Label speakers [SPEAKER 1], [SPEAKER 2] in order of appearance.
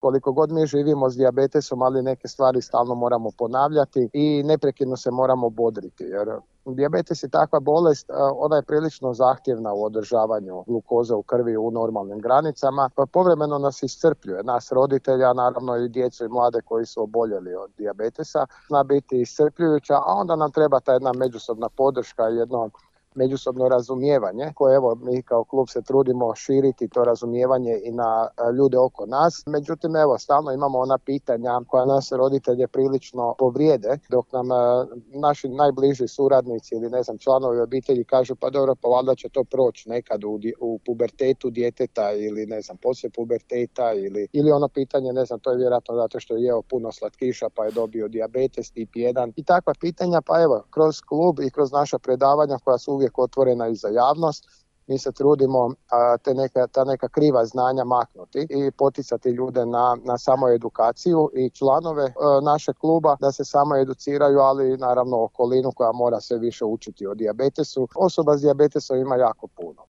[SPEAKER 1] Koliko god mi živimo s dijabetesom, ali neke stvari stalno moramo ponavljati i neprekidno se moramo bodriti, jer dijabetes je takva bolest, ona je prilično zahtjevna u održavanju glukoze u krvi u normalnim granicama, pa povremeno nas iscrpljuje, nas roditelja, naravno i djecu i mlade koji su oboljeli od dijabetesa, zna biti iscrpljujuća, a onda nam treba ta jedna međusobna podrška, jedno međusobno razumijevanje koje evo mi kao klub se trudimo širiti to razumijevanje i na ljude oko nas. Međutim, evo stalno imamo ona pitanja koja nas roditelje prilično povrijede, dok nam naši najbliži suradnici ili ne znam članovi obitelji kažu pa dobro, pa valjda će to proći nekad u pubertetu djeteta ili ne znam poslije puberteta ili ono pitanje, ne znam, to je vjerojatno zato što je jeo puno slatkiša pa je dobio dijabetes tip 1 i takva pitanja. Pa evo, kroz klub i kroz naša predavanja koja su uvijek otvorena i za javnost, mi se trudimo ta neka kriva znanja maknuti i poticati ljude na samoedukaciju i članove našeg kluba da se samo educiraju, ali naravno okolinu koja mora sve više učiti o dijabetesu. Osoba s dijabetesom ima jako puno.